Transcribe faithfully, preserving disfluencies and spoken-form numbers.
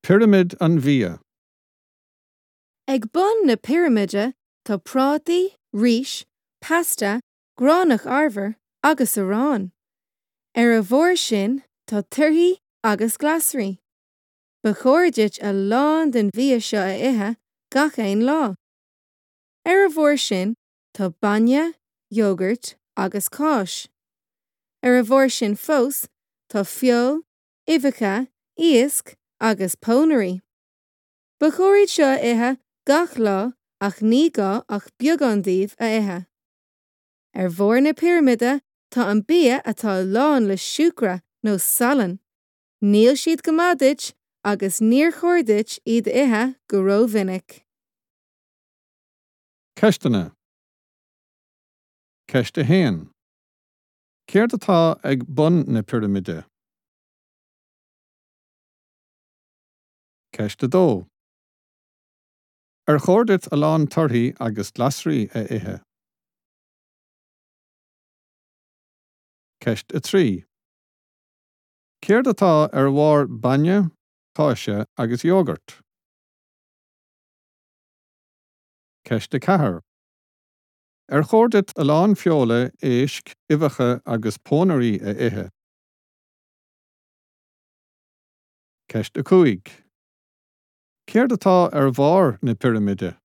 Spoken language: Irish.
Pirimid an bhia. Ag bun na pirimide tá prátaí, rís, pasta, gránach arbhair agus arán. Ar a bharr sin tá torthaí agus glasraí. Ba chóir duit a lán den bhia seo a ithe gach aon lá. Ar a bharr sin tá bainne, iógart agus cáis. Ar a bharr sin fós tá feoil, uibheacha, iasc agus pónairí. Ba chóir iad seo a ithe gach lá ach ní gá ach beagán díobh a ithe. Ar bharr na pirimide tá an bia atá lán le siúcra nó salann. Níl siad go maith duit agus níor chóir duit iad a ithe go rómhinic. Ceisteanna. Ceist a haon. Céard atá ag bun na pirimide? Ceist a dó. Ar chóir duit a lán torthaí agus glasraí a ithe? Ceist a trí. Céard atá ar bharr bainne, cáise agus iógart? Ceist a ceathair. Ar chóir duit a lán feola, éisc, uibheacha agus pónairí a ithe? Ceist a cúig. Céard atá ar bharr na pirimide?